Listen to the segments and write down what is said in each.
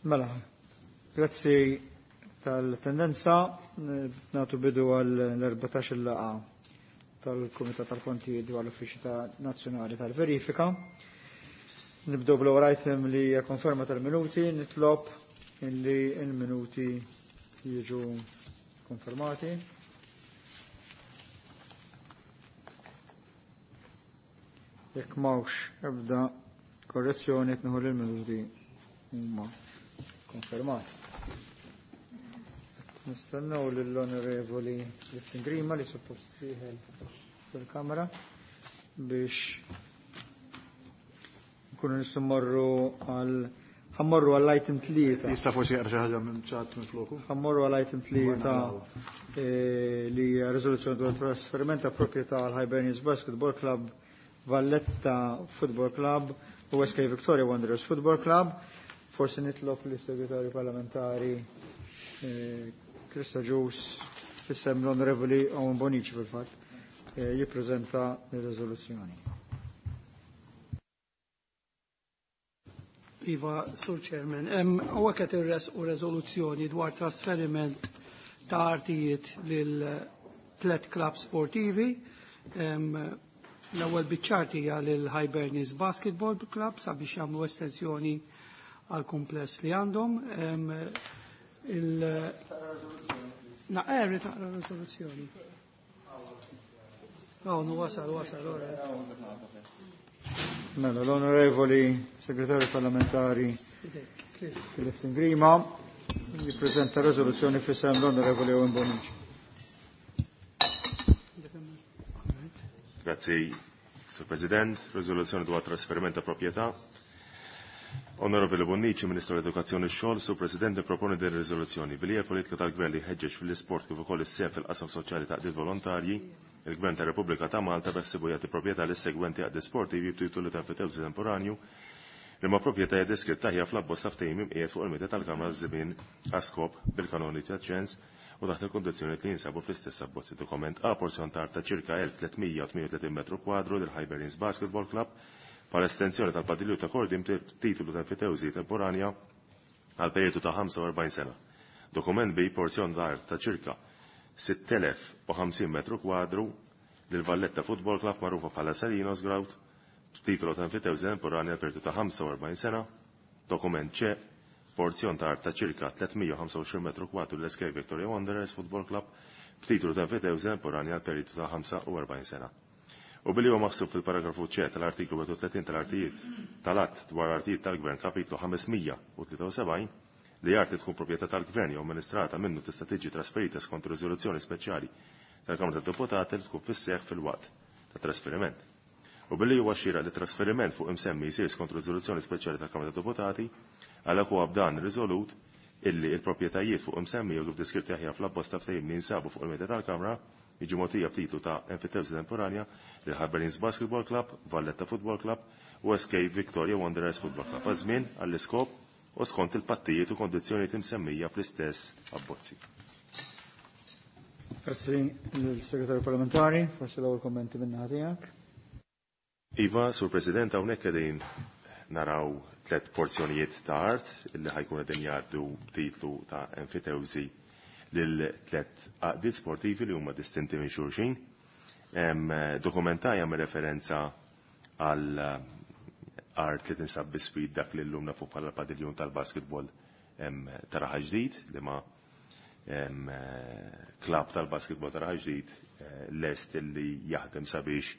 Mela, grazzi tal-tendenza, natu bidu għal-14 laqa tal-Kumitat tal-Kontijiet dwar l-Uffiċċju Nazzjonali tal-Verifika. Nibdew bl-ewwel item li hija konferma tal-minuti, nitlob illi il-minuti jiġu konfermati. Jekk m'hawnx ebda korrezzjoni qed nieħu l-minuti huma konfermati. Nistennew lill-Onorevoli Liftin Grima li suppost dieħel fil-Kamra biex nkunu nistgħu mmorru għal ħammorru għall item 3. Jista' forsi jaqra xi ħaġa minn ċat minn floku. Ħammorru għall item 3 li hija riżoluzzjoni dwar trasferiment ta' proprjetà għal Hibernians Basketball Club, Valletta Football Club u SK Victoria Wanderers Football Club. Forsi nitlob lis segretarju parlamentari Krista Ġus fissem l-Onorevoli Owen Bonici fil-fatt jippreżenta r-riżoluzzjoni. Iva, Sur Chairman, hawnhekk qed irresqu reżoluzzjoni dwar trasferiment ta' artijiet lil tliet klabb sportivi. L-ewwel biċ-ċart hija lil Hibernians Basketball Club sabiex jagħmlu estensjoni għal kumpless li għandhom. Naqra taqra riżoluzzjoni. Oh, no, wasal, wasal, ora. Mela, l-Onorevoli Segretarju Parlamentari Clifton Grima jippreżenta riżoluzzjoni f'isem l-Onorevoli Owen Bonici. Grazzi, Sur President. Riżoluzzjoni dwar trasferiment ta' proprjetà. Onorevoli Bonnici, Ministru l-Edukazzjoni x-Xogħol, Sur President proponi din riżoluzzjoni billi hija politika tal-Gvern li jħeġġeġ fil-isport kif ukoll is-sehem fil-qasam soċjali ta' qdiet volontarji, il-Gvern tar-Repubblika ta' Malta beħsibu jagħti proprjetà lis-segwenti għaqdi sportivi b'titolu ta' enfitewżi temporanju li ma proprjetà hija deskritta hija fl-abbozz ta' ftehim imqiegħed fuq il-mejda tal-Kamra żmien għaskop bil-kanoni ta' ċens u taħt il-kondizzjoni li jinsabu fl-istess abbozz. Dokument A porzjon ta' art ta' ċirka 1338 metru kwadru lil Hibernians Basketball Club bħala estensjoni tal-padilju ta' Kordim titolu ta' enfitewżi temporanja għal periodu ta' 45 sena. Dokument B porzjon ta' art ta' ċirka 6050 metru kwadru lil Valletta Football Club magħrufa bħala Salinos Ground titolu ta' enfitewżi temporanja għal periodu ta' 45 sena. Dokument C porzjon ta' art ta' ċirka 325 metru kwadru l-SK Victoria Wanderers Football Club b'titolu ta' enfitewżi temporanja għal periodu ta' 45 sena. U billi huwa maħsub fil-paragrafu C tal-artiklu 31 tal-artijiet tal-att dwar artijiet tal-Gvern kapitlu 573 li arti tkun proprjetà tal-Gvern jew amministrata minnu tista' tiġi trasferita skont riżoluzzjoni speċjali tal-Kamra tad-Deputati li tkun fis-seħħ fil-waqt ta' trasferiment. U billi huwa xieraq li trasferiment fuq imsemmi jsir skont riżoluzzjoni speċjali tal-Kamra tad-Deputati, għalhekk huwa b'dan riżolut illi il-proprjetajiet fuq imsemmi jew kif deskritti aħjar fl-abbozz ta' ftehim li jinsabu fuq il-mejda tal-Kamra jiġu mogħtija b'titlu ta' enfitewżi temporanja lil Hibernians Basketball Club, Valletta Football Club u SK Victoria Wanderers Football Club għaż-żmien għall-iskop u skont il-pattijiet u kondizzjonijiet imsemmija fl-istess abbozzi. Grazzi lill-Segretarju Parlamentari, forsi l-ewwel kommenti minn naħa tiegħek. Iva, Sur President, hawnhekk qegħdin naraw tliet porzjonijiet ta' art illi ħajkun qegħdin jgħaddu b'titlu ta' enfitewżi lil tliet għaqdiet sportivi li huma distinti minn xulxin. Dokumentaj jagħmel referenza għal art li tinsab biswit dak li llum nafu bħala padiljun tal-basketball ta' Raħal Ġdid li ma klabb tal-basketball ta' Raħal Ġdid lest li jaħdem sabiex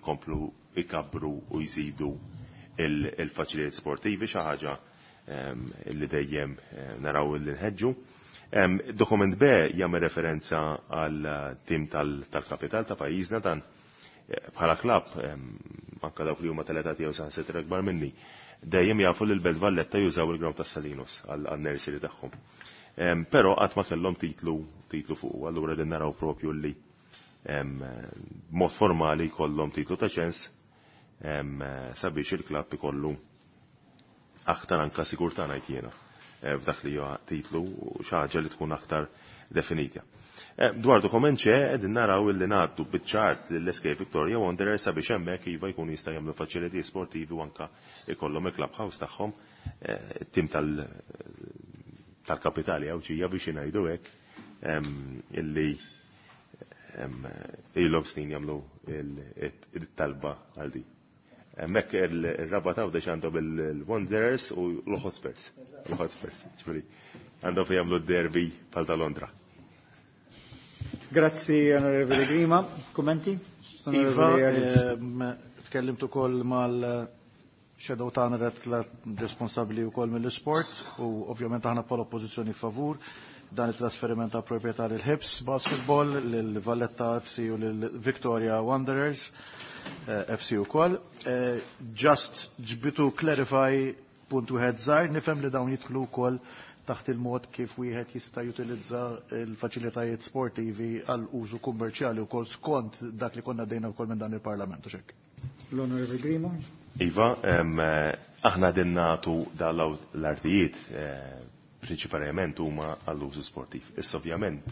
ikomplu ikabbru u jżidu il-faċilitajiet sportivi, xi ħaġa li dejjem naraw li nħeġġu. Dokument B jagħmel referenza għal tim tal-kapital ta' pajjiżna dan bħala klabb, anke dawk li huma tal-età tiegħu saħansitra akbar minni, dejjem jafu li l-Belt Valletta jużaw il-ground tas-Salinos għal-nursery tagħhom. Però qatt ma kellhom titlu fuq, allura din naraw propju li b'mod formali jkollhom titlu ta' ċens sabiex il-klabb ikollu aktar anka sigurtà ngħid jiena f'dak li huwa titlu u xi ħaġa li tkun aktar definita. Dwar dokument ċe qegħdin naraw illi ngħaddu biċ-ċart lill-SK Victoria Wanderers sabiex hemmhekk iva jkunu jista' jagħmlu faċilitajiet sportivi u anka ikollhom il-clubhouse tagħhom, it-tim tal-kapitali Għawdxija biex ngħidu hekk illi ilhom snin jagħmlu il-talba għal di. Hemmhekk ir-Rabat Għawdex għandhom il-Wanderers u l-Hotspurs. L-Hotspurs, ġifieri għandhom fejn jagħmlu d-derby bħal ta' Londra. Grazzi, Onorevoli Grima. Kummenti? Iva, Onorevoli Agius. Tkellimt ukoll mal-shadow tagħna responsabbli wkoll mill-isport u ovvjament aħna bħala oppożizzjoni favur dan it-trasferiment ta' proprjetà lil Hibs Basketball, lil Valletta FC u lil Victoria Wanderers FC ukoll. Just ġbitu clarify punt wieħed żgħir, nifhem li dawn jidħlu wkoll taħt il-mod kif wieħed jista' jutilizza l-faċilitajiet sportivi għal użu kummerċjali wkoll skont dak li konna dejna wkoll minn dan il-Parlament u xek. L-Onorevoli Grima. Iva, aħna din nagħtu dal l-artijiet prinċipalment huma għall-użu sportiv. Issa ovvjament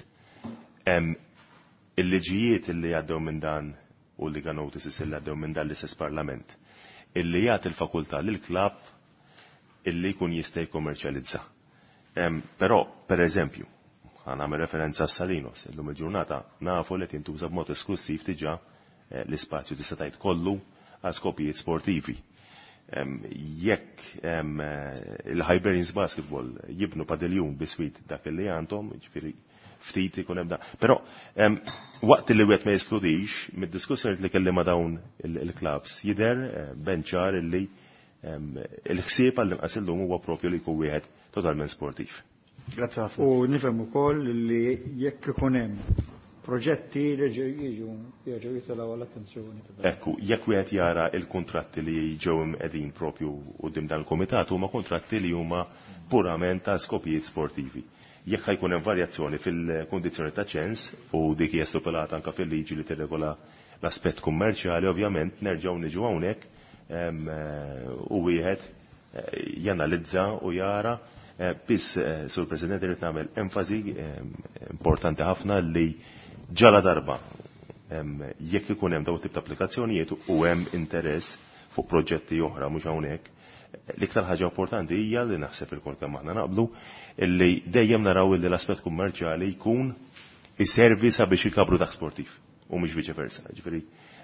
il-liġijiet li għaddew minn dan u li notices li għaddew minn dan l-istess Parlament illi jagħti l-fakultà lil klabb illi jkun jista' jikkommerċjalizza. Però, per eżempju, ħa nagħmel referenza għas-Salinos, illum il-ġurnata nafu li tintuża b'mod esklusiv diġà l-ispazju tista' tgħid kollu għal skopijiet sportivi. Jekk il-Hibernians Basketball jibnu padiljun biswit dak li għandhom, ġifieri ftit ikun hemm da. Però waqt li wieħed ma jeskludix, mid-diskussjoni li kelli ma' dawn il-clubs jidher benċar illi il-ħsieb għall-inqas illum huwa propju li jkun wieħed totalment sportiv. Grazzi ħafna. U nifhem ukoll li jekk ikun hemm proġetti li jiġu jerġgħu jitilgħu għall-attenzjoni ta' dan. Ekku, jekk wieħed jara il-kuntratti li ġew qegħdin propju quddiem dan il-kumitat huma kuntratti li huma purament ta' skopijiet sportivi. Jekk ħajkun hemm varjazzjoni fil-kundizzjoni ta' ċens u dik hija stipulata anke fil-liġi li tirregola l-aspett kummerċjali, ovvjament nerġgħu niġu hawnhekk u wieħed janalizza u jara. Biss, Sur President, irrid nagħmel enfasi importanti ħafna li ġala darba jekk ikun hemm dawn tip ta' applikazzjonijiet u hemm interess fuq proġetti oħra mhux hawnhekk, l-iktar ħaġa importanti hija li naħseb ilkoll kemm aħna naqblu illi dejjem naraw illi l-aspett kummerċjali jkun iservi sabiex ikabru dak sportiv u mhux viċe versa. Ġifieri,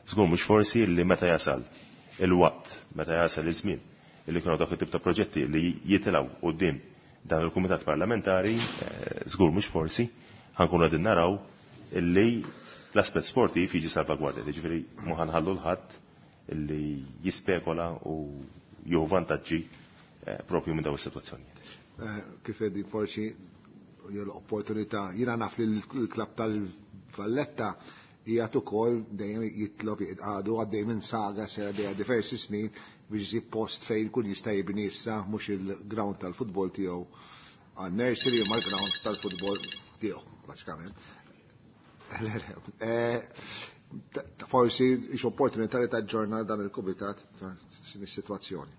żgur mhux forsi li meta jasal il-waqt, meta jasal iż-żmien illi kienu dak it-tip ta' proġetti li jitilgħu quddiem dan il-Kumitat Parlamentari, żgur mhux forsi, ħankunu qegħdin naraw illi l-aspett sportiv jiġi salvagwardja. Ġifieri ma ħanħallu l-ħadd illi jispekola u jieħu vantaġġi propju minn dawn is-sitwazzjonijiet. Kif qegħdin forsi l-opportunità, jiena naf li l-klabb tal-Valletta hija ukoll dejjem jitlob għadu għaddej minn saga sera dejja diversi snin biex isib post fejn kun jista' jibni issa mhux il-ground tal-futbol tiegħu għan nursery ma l-ground tal-futbol tiegħu, bażikament. Forsi ix opportunità li taġġorna dan il-kumitat ta' din is-sitwazzjoni.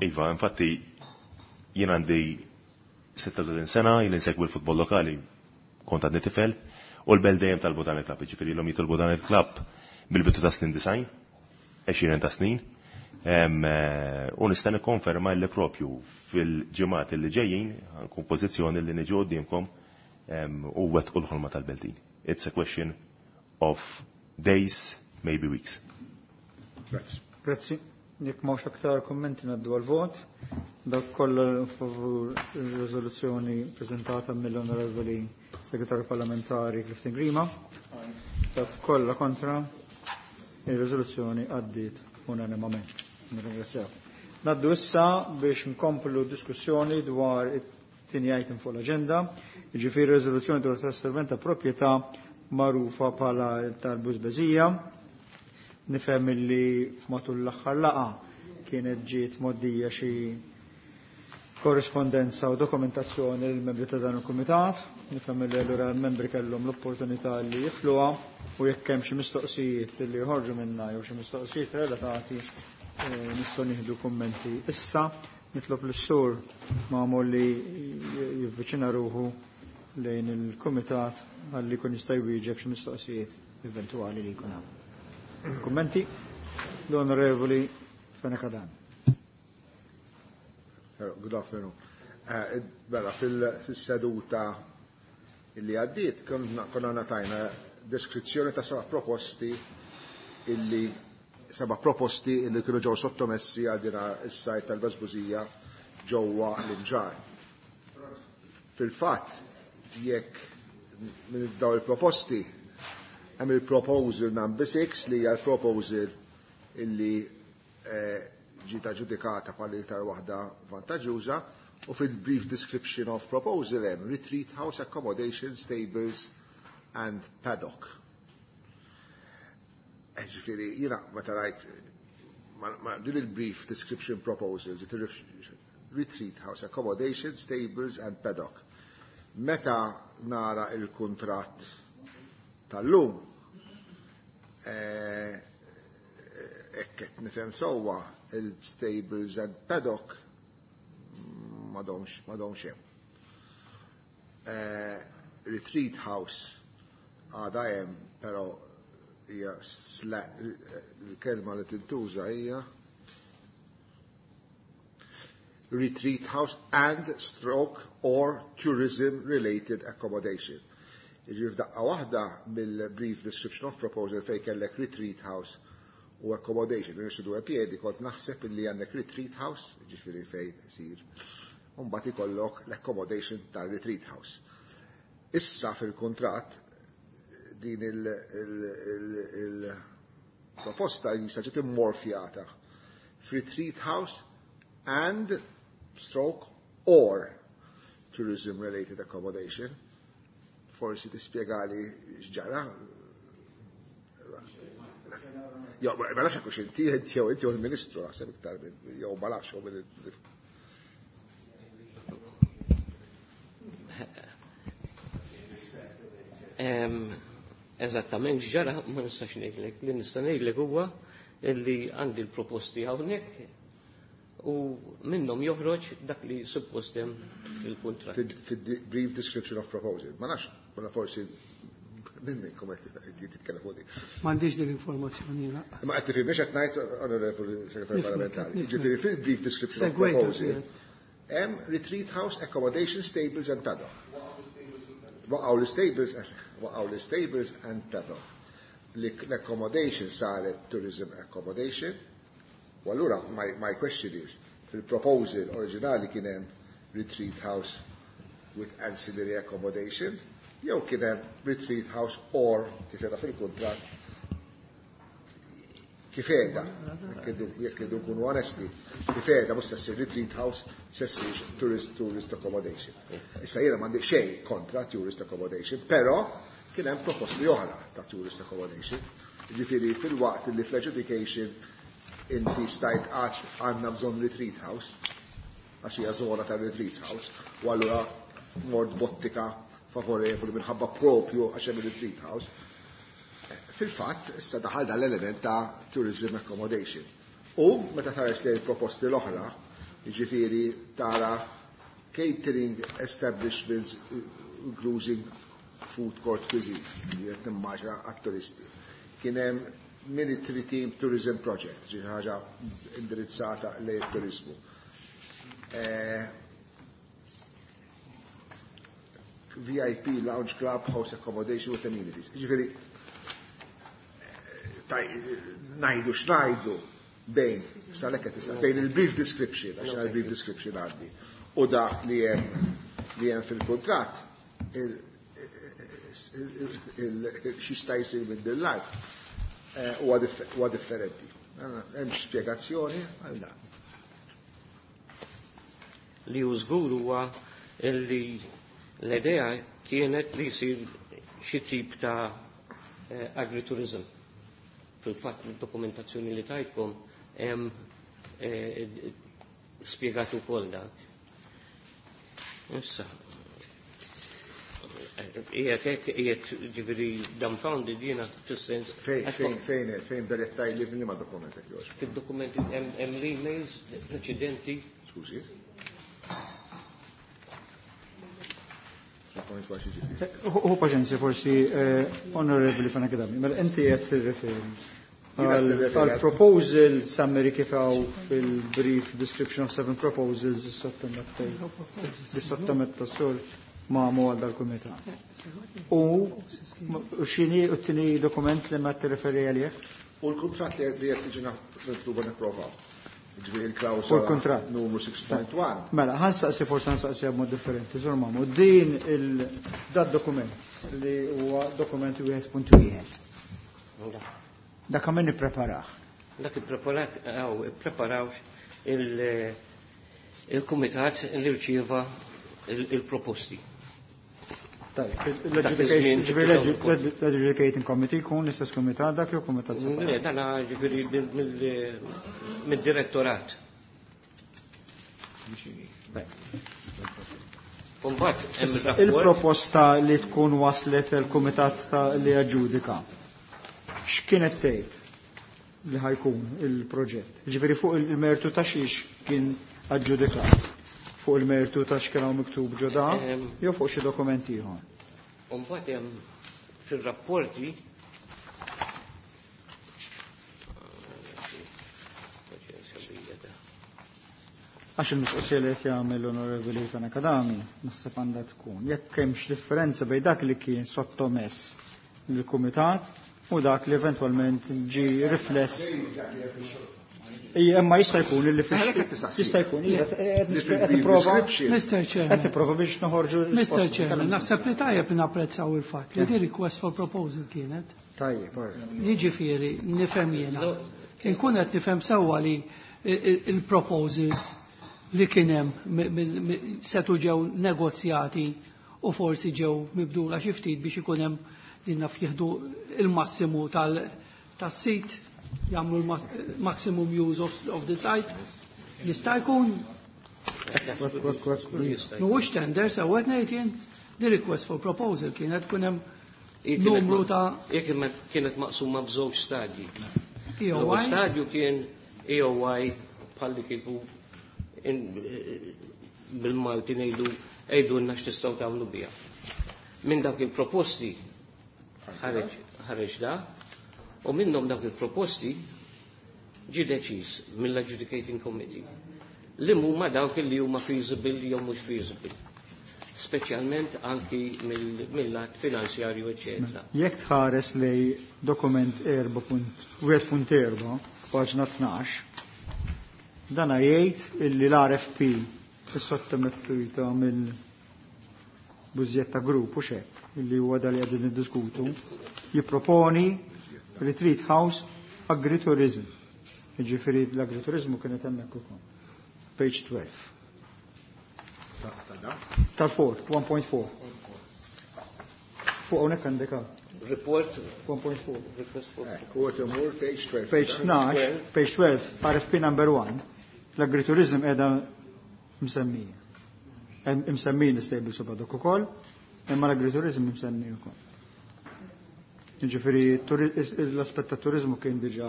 Iva, infatti jien għandi 36 sena, jien insegwi l-futbol lokali kont għadni tifel, u l-bel dejjem talbu dan il-klabb, ġifieri l-hom jitolbu dan il-klabb bil-bidu ta' snin design, 20 ta' snin, u nista' nikkonferma li propju fil-ġimgħat li ġejjin nkun pożizzjoni li niġu quddiemkom u wettqu l-ħolma tal-Beltin. It's a question of days, maybe weeks. Grazzi. Grazzi. Jekk m'hawnx aktar kummenti ngħaddu għal-vot. Dak kollha favur ir-riżoluzzjoni preżentata mill-Onorevoli Segretarju Parlamentari Clifton Grima. Dak kollha kontra ir-riżoluzzjoni għaddiet unanimament. Nirringrazzjaw. Naddu issa biex nkomplu diskussjoni dwar it-tieni item fuq l-aġenda, jiġifieri riżoluzzjoni dwar trasferiment ta' proprjetà magħrufa bħala tal-Bużbeżija. Nifhem illi matul l-aħħar laqgħa kienet ġiet moddija xi korrispondenza u dokumentazzjoni lill membri ta' dan il-kumitat. Nifhem illi allura l-membri kellhom l-opportunità li jifluha u jekk hemm xi mistoqsijiet li joħorġu minnha jew xi mistoqsijiet relatati nistgħu nieħdu kummenti. Issa nitlob lis-sur Mamo li jivviċina ruħu lejn il-kumitat ħalli jkun jista' jwieġeb xi mistoqsijiet eventwali li jkun hawn. Kummenti? L-Onorevoli Fenech Adami. Good afternoon. Mela, fil-seduta illi għaddiet, konna natajna deskrizzjoni ta' seba' proposti illi seba' proposti illi kienu ġew sottomessi għal dina is-sajt tal-Beżbużija ġewwa l-Imġar. Fil-fatt, jekk minn daw il-proposti hemm il-proposal number 6 li hija l-proposal illi ġiet aġġudikata bħala iktar waħda vantaġġuża u fil-brief description of proposal hemm retreat house accommodation stables and paddock. Ġifieri jiena meta rajt ma din il-brief description proposal ġiet retreat house accommodation stables and paddock. Meta nara il-kuntratt tal-lum, hekk qed nifhem sewwa il-stables and paddock m'għadhomx hemm. Retreat house għadha hemm, però hija l-kelma li tintuża hija retreat house and stroke or tourism related accommodation. Jiġifieri f'daqqa waħda mill-brief description of proposal fejn kellek retreat house u accommodation, minn due piedi kont naħseb illi għandek retreat house, jiġifieri fejn isir, u mbagħad ikollok l-accommodation tal-retreat house. Issa fil-kuntratt din il-proposta jista' ġiet immorfjata f'retreat house and stroke or tourism related accommodation. Forsi tispjegali x'ġara. Jo, ma nafx hekk inti inti jew inti l-Ministru naħseb iktar minn jew ma nafx jew minn Eżattament x'ġara ma nistax ngħidlek. Li nista' ngħidlek huwa li għandi l-proposti hawnhekk u minnhom joħroġ dak li suppost hemm fil-kuntratt. Fil-brief description of proposal. Ma nafx, ma forsi minn minnkom qed titkellem fuq dik. M'għandix din l-informazzjoni lanqas. Ma qed tifhimx qed ngħid, Onorevoli Segretarju Parlamentari. Jiġifieri fil-brief description of proposal hemm retreat house, accommodation, stables and paddock. Waqgħu l-stables, waqgħu l-stables and paddock. L-accommodation saret tourism accommodation. U allura my question is, fil-proposal oriġinali kien hemm retreat house with ancillary accommodation, jew kien hemm retreat house or kif qiegħda fil-kuntratt kif qiegħda, jekk irridu nkunu onesti, kif qiegħda mhux se ssir retreat house, se ssir tourist accommodation. Issa jiena m'għandi xejn kontra tourist accommodation, però kien hemm proposti oħra ta' tourist accommodation. Jiġifieri fil-waqt li fl-adjudication inti stajt għax għandna bżonn retreat house, għax hija żona ta' retreat house, u allura mort bottika favorevoli minħabba propju għax hemm retreat house. Fil-fatt, issa daħal dal-element ta' tourism accommodation. U meta tħares lejn proposti l-oħra, jiġifieri tara catering establishments including food court cuisine, li qed nimmaġina għat-turisti. Kien hemm military team tourism project, ġi ħaġa indirizzata lejn turizmu. VIP lounge club house accommodation with amenities. Ġifieri, najdu x'najdu bejn, salek qed tista' bejn il-brief description, għax il-brief description għandi, u dak li hemm fil-kuntratt, x'jista' jsir minn din l-art huwa differenti. Hemm spjegazzjoni għal dan. Li hu żgur huwa li l-idea kienet li jsir xi tip ta' agriturism. Fil-fatt id-dokumentazzjoni li tajtkom hemm spjegat ukoll dak. Issa, qiegħed hekk qiegħed ġifieri dumbfounded jiena fis-sens. Fejn berettaj li fil-liema dokument qed jogħġbok? Fid-dokumenti hemm l-emails preċedenti. Skużi. U paċenzja forsi, Onorevoli Fenech Adami, mela inti qed tirreferi Għal proposal summary kif hawn fil-brief description of seven proposals sottometta sur ma' għal dal-kumitat. U x'inhi t-tieni dokument li ma tirreferi għalih? U l-kuntratt li qed tiġi mitluba nipprovaw. Ġifieri il-klawsola U l-kuntratt. numru 6.1. Mela, ħa nsaqsi, forsi ħa nsaqsi b'mod differenti, Sur Mamu, din il-dat dokument li huwa dokument 1.1. Dak għamil nippreparah. Dak ippreparaw il-kumitat li rċieva il-proposti. Tajb, Dak iż-żmien l-Adjudicating Committee jkun l-istess kumitat dak jew kumitat Le, separat? dana ġifieri mid-direttorat. Umbat, hemm rapport. Il-proposta li tkun waslet il-kumitat li aġġudika. X'kienet tgħid li ħa jkun il-proġett? Ġifieri fuq il-mertu ta' xiex kien aġġudikat? Fuq il-mertu ta' x'kien hawn miktub ġoda jew fuq xi dokument ieħor? Umbat hemm fir-rapporti. Għax il-mistoqsija li qed jagħmel l-Onorevoli Fenech Adami naħseb għandha tkun jekk hemmx differenza bejn dak li kien sottomess lill-kumitat u dak li eventwalment ġi rifless. Ija, imma jista' jkun li fix Għalhekk qed tistaqsi. jista' jkun, ija, qed Li qed fil-brief nipprova description. Mr. qed Chairman, nipprova biex noħorġu Mr. risposta. Chairman, naħseb li tajjeb li napprezzaw il-fatt li di request for proposal kienet. Tajjeb, all right. Jiġifieri nifhem jiena. Inkun qed nifhem sewwa li il-proposals li kien hemm setu ġew negozjati u forsi ġew mibdula xi ftit biex ikun hemm din naf jieħdu il-massimu tas-sit, jagħmlu l-maximum use of the site. Jista' jkun mhuwiex tender sewwa qed ngħid jien, di request for proposal kienet tkun hemm numru ta' Jekk kienet maqsuma f'żewġ stadji. L-ewwel EOI. stadju kien EOI bħalli kieku bil-Malti ngħidu għidulna x'tistgħu tagħmlu biha. Minn dawk il-proposti ħareġ da, u minnhom dawk il-proposti ġi deċiż mill-Adjudicating Committee li huma dawk li huma feasible jew mhux feasible. Speċjalment anki mill-lat finanzjarju, eċetera. Jekk tħares lej dokument 4.1.4, paġna 12, dana jgħid illi l-RFP is-sottomettuta mill Bużjetta Group u xek, illi huwa dal li qegħdin niddiskutu, jipproponi Retreat House Agritourism. Jiġifieri l-agriturizmu kienet hemmhekk ukoll. Page 12. Tal-4, 1.4. Fuq hawnhekk għandek hawn. Report 1.4. Request for U għet imur page 12. Page 12, page 12, RFP number 1, l-agriturizm qiegħda msemmija. Msemmin l-stable sabadok ukoll, imma l-agriturizm msemmi ukoll. Jiġifieri l-aspett ta' turizmu kien diġà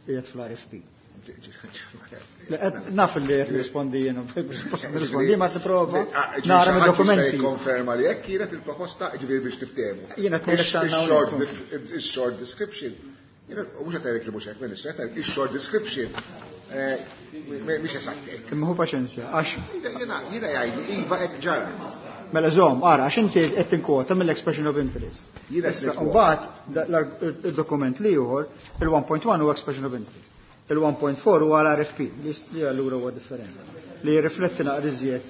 qiegħed fl-RFP. Le, naf li qed nirrispondi jiena, suppost nirrispondi ma tipprova nara mid-dokumenti. Konferma li hekk kienet il-proposta, ġifieri biex niftehmu. Jiena qed ngħidlek x'għandna hawnhekk. Il-short description. Jiena mhux qed ngħidlek li mhux hekk, Ministru, qed ngħidlek il-short description. Mhix eżatt hekk. Imma hu paċenzja, għax Jiena jgħidli iva hekk ġara. Mela żomm, ara, għax inti qed tinkwota mill-expression of interest. Jiena Issa, qed ninkwota. mbagħad il-dokument li ieħor, il-1.1 huwa expression of interest. Il-1.4 huwa l-RFP, li allura huwa differenti. Li jirrifletti naqra iżjed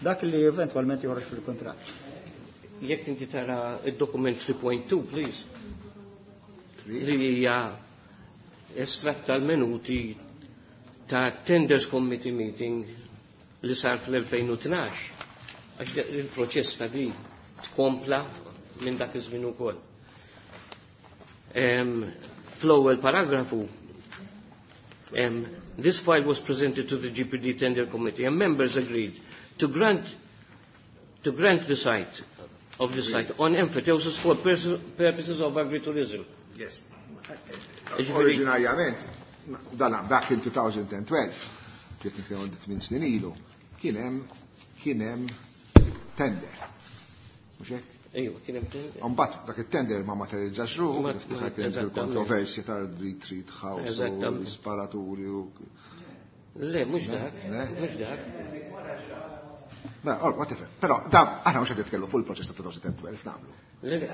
dak li eventwalment joħroġ fil-kuntratt. Jekk inti tara id-dokument 3.2, please. Li hija estratt tal-minuti ta' Tenders Committee meeting li sar fl-2012. Għax il-proċess ta' di tkompla minn dak iż-żmien ukoll. Fl-ewwel paragrafu, this file was presented to the GPD Tender Committee and members agreed to grant the site of the site on emphyteusis for purposes of agritourism. Yes. Ġifieri- Oriġinarjament, dan back in 2012, kif nitkellmu 8 snin ilu, kien hemm tender. Mhux hekk? Ejwa, kien hemm tender. Mbagħad dak it-tender ma materializzax ruħu, niftakar kien il-kontroversja tal-retreat house u l-isparaturi u. Le, mhux dak, mhux dak. Mela, or, whatever. Però da aħna mhux qed nitkellmu fuq il-proċess ta' 2012 nagħmlu. Le, le.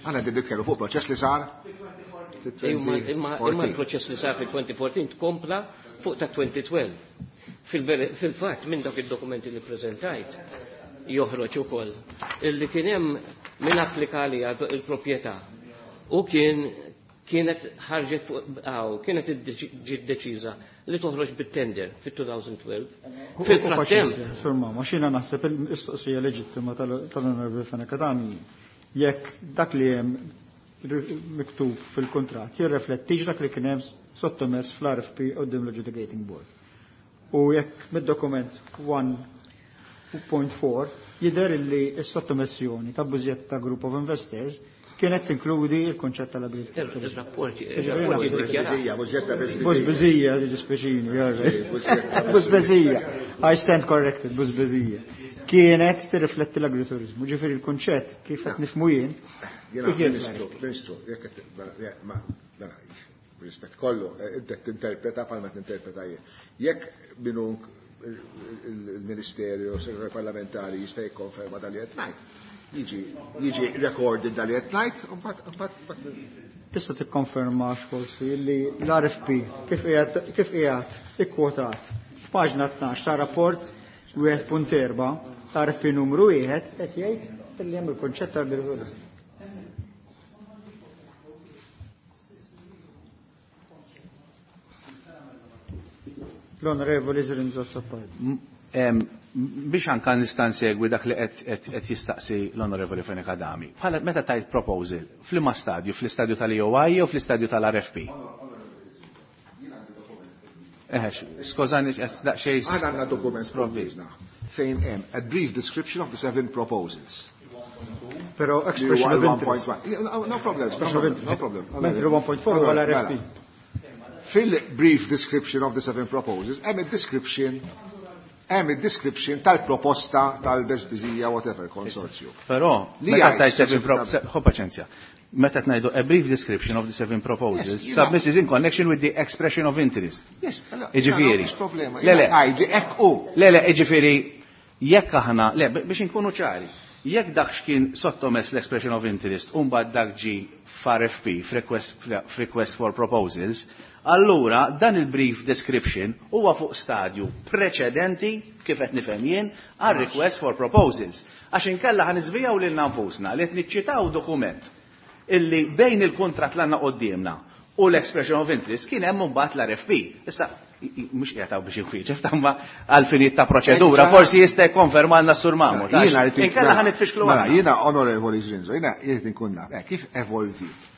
Aħna qed nitkellmu fuq proċess li sar Imma l-proċess li sar fil-2014 tkompla fuq ta' 2012. Fil-fatt minn dak id-dokumenti li preżentajt joħroġ ukoll illi kien hemm min applika li il-proprjetà u kien kienet ħarġet fuq għaw, kienet ġiet deċiża li toħroġ bit-tender fit-2012. Fil-frattemp. Sur ma xina naħseb il-mistoqsija leġittima tal-Onorevoli Fenech Adami jekk dak li hemm miktub fil-kuntratt jirreflettix dak li kien hemm sottomess fl-RFP quddiem l-Adjudicating Board. U jekk mid-dokument 1.4 jidher li s-sottomessjoni ta' Bużjetta Group of Investors kienet tinkludi il-konċett tal-agrikoltura. Ir-rapporti Bużbizija, dispeċini, Bużbizija, I stand corrected, bużbizija. Kienet tirrifletti l-agriturizmu, ġifieri il-konċett kif qed nifhmu jien. Jiena Ministru, Ministru, jekk mela, rispett kollu, inti tinterpreta bħalma tinterpreta jien. Jekk minu il-Ministerju, segretarju parlamentari jista' jikkonferma dan li qed ngħid. Jiġi recorded dan li qed ngħid, u mbagħad Tista' tikkonferma forsi li l-RFP kif qiegħed ikkwotat f'paġna 12 ta' rapport 1.4 l-RFP numru 1 qed jgħid li hemm il-konċett tal-agrikoltura. L-Onorevoli Zrinzo Azzopardi. Biex anka nista' nsegwi dak li qed jistaqsi l-Onorevoli Fenech Adami. Bħala meta tajt proposal, f'liema stadju, fl-istadju tal-EOI jew fl-istadju tal-RFP? Eħex, skużani, daqsxejn. Aħna għandna dokument sprovvist fejn hemm a brief description of the 7 proposals. Però expression of interest. No problem, no problem. Mentri 1.4 huwa l-RFP. Fil-brief description of the 7 proposals, hemm id-description hemm id-description tal-proposta tal-Besbizija whatever consortium. Però, meta tajt 7 proposals, ħu paċenzja. Meta tnajdu a brief description of the 7 proposals, submitted in connection with the expression of interest. Yes, Iġifieri. Le, le. Hekk hu. Le, le, iġifieri, jekk aħna, le, biex inkunu ċari, jekk dak x'kien sottomess l-expression of interest u mbagħad dak ġi f'RFP, f'request for proposals, allura dan il-brief description huwa fuq stadju preċedenti kif qed nifhem jien għal request for proposals. Għax inkella ħa niżvijaw lilna nfusna li qed niċċitaw dokument illi bejn il-kuntratt l għandna quddiemna u l-expression of interest kien hemm imbagħad l-RFP. Issa mhux qiegħed hawn biex inwieġeb tamma għal finijiet ta' proċedura, forsi jista' jikkonfermalna s-Sur Mamu. Inkella ħa nitfixklu Mela, jiena Onorevoli Zrinzo, jiena jrid inkun naf kif evolvit.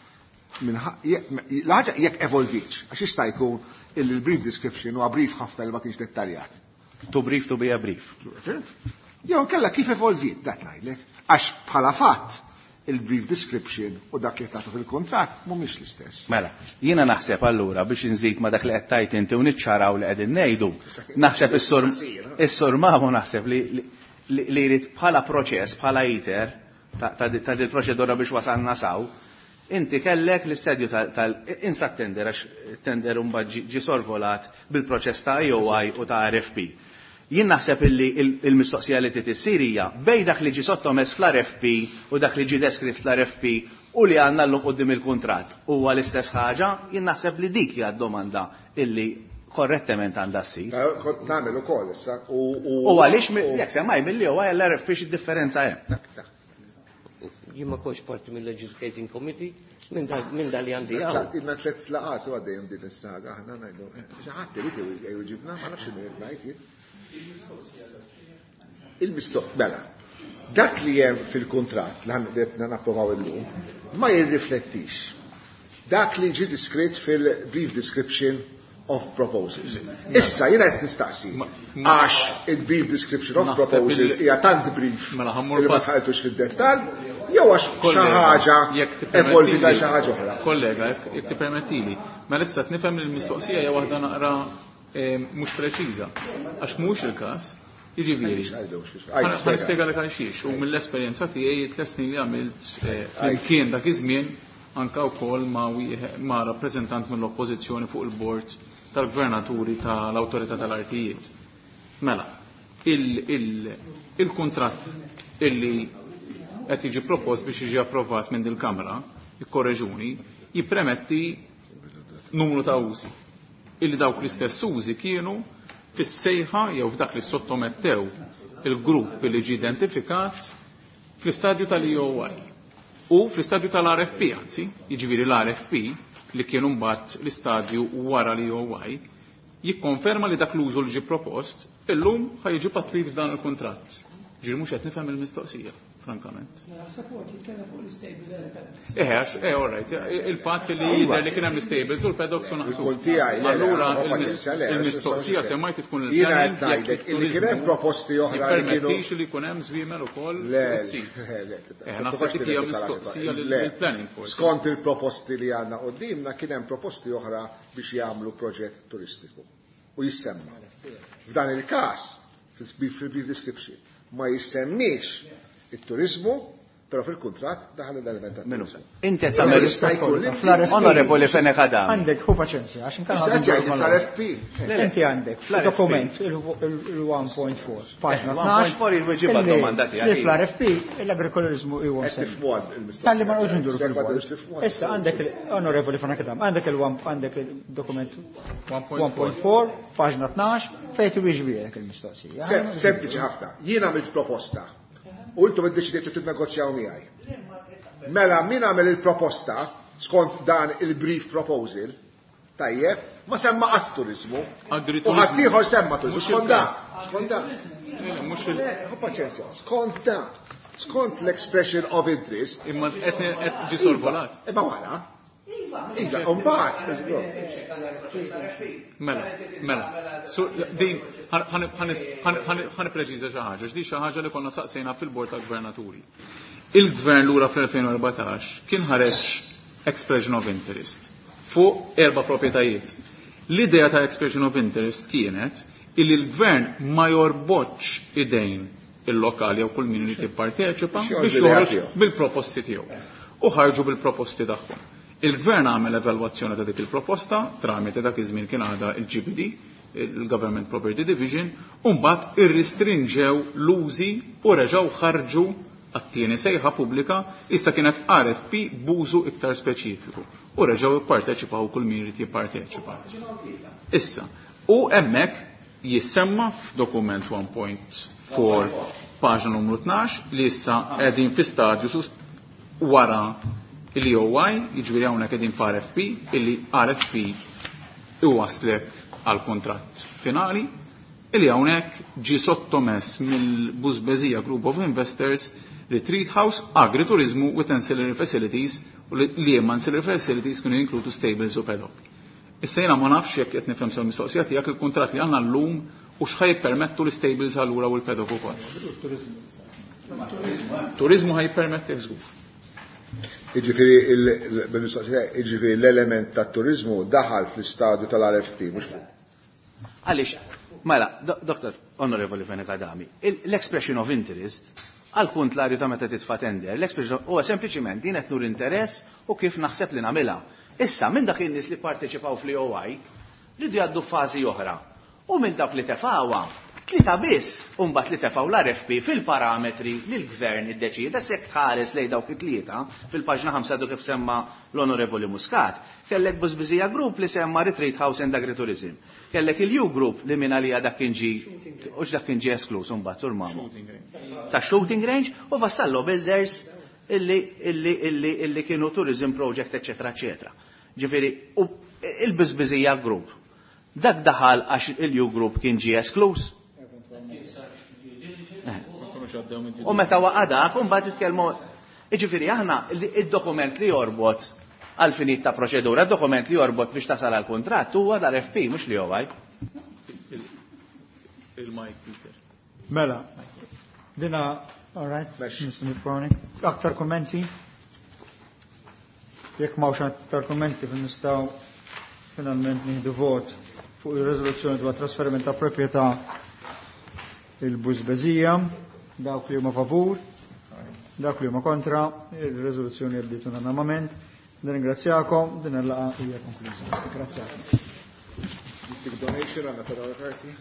L-ħaġa jekk evolvitx, għax jista' jkun il-brief description huwa brief ħafna li ma kienx dettaljat. To brief to be a brief. Jew kella kif evolvit dak ngħidlek, għax bħala fatt il-brief description u dak li tagħtu fil-kuntratt mhumiex l-istess. Mela, jiena naħseb allura biex inżid ma dak li qed tajt inti u niċċaraw li qegħdin ngħidu, naħseb is-sur Mamu naħseb li jrid bħala proċess, bħala iter ta' dil proċedura biex wasalna saw, inti kellek l-istadju tal-insa tender għax tender imbagħad ġi sorvolat bil-proċess ta' EOI u ta' RFP. Jien naħseb illi il-mistoqsija li trid issir hija bejn dak li ġi sottomess fl-RFP u dak li ġi deskritt fl-RFP u li għandna llum quddiem il-kuntratt huwa l-istess ħaġa, jien naħseb li dik hija d-domanda illi korrettement għandha ssir. Kont nagħmel ukoll issa u għaliex jekk semmaj milli huwa l-RFP x'differenza hemm. Jien ma kontx parti mill-Legislating Committee minn dal li għandi hawn. Ilna tliet laqgħat u għaddejjem din is-saga aħna ngħidu xi ħadd irid jwieġibna ma nafx min qed ngħid jien. Il-mistoq, mela, dak li hemm fil-kuntratt li qed napprovaw illum ma jirriflettix dak li ġie diskrit fil-brief description of proposals. Issa jiena qed nistaqsi għax il-brief description of proposals hija tant brief li ma tħalltux fid-dettall jew għax xi ħaġa evolvita xi ħaġa oħra. Kollega, jekk tippermettili, mela issa nifhem li l-mistoqsija hija waħda naqra mhux preċiża. Għax mhux il-każ Jiġifieri. Ħa nispjegalek għal xiex u mill-esperjenza tiegħi tliet snin li għamilt flimkien dak iż-żmien anka wkoll ma' ma' rappreżentant mill-oppożizzjoni fuq il-bord tal-gvernaturi tal-Awtorità tal-Artijiet. Mela, il-kuntratt illi qed jiġi propost biex jiġi approvat minn dil-Kamra, ikkorreġuni, jippremetti numru ta' użi. Illi dawk l-istess użi kienu fis-sejħa jew f'dak li sottomettew il-grupp li ġie identifikat fl-istadju tal-EOI. U fl-istadju tal-RFP, anzi, jiġifieri l-RFP li kienu mbagħad l-istadju wara l-EOI, jikkonferma li dak l-użu li ġie propost illum ħa jiġi patwit f'dan il-kuntratt. Ġifieri mhux qed nifhem il-mistoqsija, frankament. Naħseb huwa jitkellem fuq l-istables u l-paddocks. Eh, għax, eh, all right, il-fatt li jidher li kien hemm l-istables u l-paddocks u naqsu. Il-punt tiegħi, le, le, Allura ma paċenzja, le, il-mistoqsija semmaj tkun Jiena il-planning qed ngħidlek illi kien hemm proposti oħra li kienu jippermettix li jkun hemm żwiemel ukoll Le, fuq is-sit. le, le, Eh, naħseb dik hija mistoqsija lill-planning forsi. Skont il-proposti li għandna qudiemna kien hemm proposti oħra biex jagħmlu proġett turistiku u jissemma. F'dan il-każ, fil-brief description, ma jissemmix it-turizmu, però fil-kuntratt daħal l-element Minu. tat-turizmu. Inti qed Però tagħmel jista' jkun li Onorevoli Fenech Adami. Għandek, hu paċenzja, għax inkella Issa ħadu ġej mal- l-RFP. Inti għandek, Fl-RFP. dokument il-1.4, paġna 1.4 il-weġiba illi- domanda tiegħek. Li fl-RFP l-agrikolorizmu huwa Qed msemmi. tifhmu il-mistoqsija. Talli ma noqgħodx nduru Sekwa fil-vojt. tridux tifhmuha. Issa għandek onorevoli Fenech Adami, għandek il-one għandek il-dokument 1.4. 1.4, paġna 12, fejn tiwieġbielek il-mistoqsija. Sempliċi ħafna. Jien għamilt proposta u intom iddeċidejtu tinnegozjaw miegħi. Mela min għamel il-proposta skont dan il-brief proposal, tajjeb, ma semma qatt turizmu. Agriturizmu. U ħadd ieħor semma turizmu. Mhux Skont dan, il-każ. skont dan. Le, mhux il- Le, ħu paċenzja, skont dan. Skont l-expression of interest, Imma qed qed ġi sorvolat. imma wara. Iva, u mbagħad. Mela, mela. So, din, ħan preċiża xi ħaġa, x'di xi ħaġa li konna saqsejna fil-bord tal-gvernaturi. Il-gvern lura fl-2014 kien ħareġ expression of interest fuq erba' proprjetajiet. L-idea ta' expression of interest kienet illi l-gvern ma jorbotx idejn il-lokali jew kull min irid jipparteċipa Biex biex joħorġu l-idea joħroġ tiegħu. bil-proposti tiegħu. U ħarġu bil-proposti tagħhom. Il-gvern għamel evalwazzjoni ta' dik il-proposta tramite dak iż-żmien kien għadha il-GPD, il-Government Property Division, u mbagħad irristrinġew l-użi u reġgħu ħarġu għat-tieni sejħa pubblika issa kienet RFP b'użu iktar speċifiku. U reġgħu ipparteċipaw kull min irid jipparteċipa. Issa, u hemmhekk jissemma f'dokument 1.4 paġna numru 12 li issa qegħdin fi stadju sus wara l-EOI, jiġifieri hawnhekk qegħdin f'RFP, illi RFP iwaslek għal kontratt finali, illi hawnhekk ġie sottomess mill-Busbezija Group of Investors Retreat House Agriturismu with Ancillary Facilities u li li hemm ancillary facilities kienu jinkludu stables u paddock. Issa jiena ma nafx jekk qed nifhem sew mistoqsija tiegħek il-kuntratt li għandna llum u x'ħaj jippermettu l-stables allura u l-paddock ukoll. Turizmu ħaj jippermetti żgur. Jiġifieri il-mistoqsija, jiġifieri l-element tat-turizmu daħal fl-istadju tal-RFP, mhux Għaliex, mela, Dr. Onorevoli Fenech Adami, l-expression of interest għal kontlarju ta' meta titfa' tender, l-expression huwa sempliċiment din qed nur interess u kif naħseb li nagħmilha. Issa minn dak in-nies li parteċipaw fl-EOI ridu jgħaddu fażi oħra. U minn dak li tefawha, tlieta biss u mbagħad li tefgħu l-RFP fil-parametri li l-gvern iddeċieda sekk tħares lejn dawk it-tlieta fil-paġna 5 du kif semma l-Onorevoli Muscat. Kellek Busbizija Group li semma Retreat House and Agritourism. Kellek il-U Group li minn għalija dak kien ġi u dak kien ġi esklus imbagħad sur mamu. Ta' shooting range u Vassallo Builders illi illi illi illi kienu tourism project eccetera eccetera. Ġifieri u il-Busbizija Group. Dak daħal għax il-U Group kien ġi esklus. U meta waqa' dak, u mbagħad titkellmu. Jiġifieri aħna id-dokument li jorbot għal finit ta' proċedura, dokument li jorbot biex tasal għal kuntratt huwa l-RFP mhux li jowaj. Il-Mike Peter. Mela, dina, all right, Mex. Mr. Nipponi. Aktar kommenti? Jekk m'hawnx aktar kommenti fin nistgħu finalment nieħdu vot fuq ir-riżoluzzjoni dwar trasferiment ta' proprjetà il-Bużbeżija. Dawk li huma favur, dawk li huma kontra, ir-riżoluzzjoni għaddiet unanimament. Nirringrazzjakom, din il-laqgħa hija konkluża. Grazzjakom. Donation għandna karti.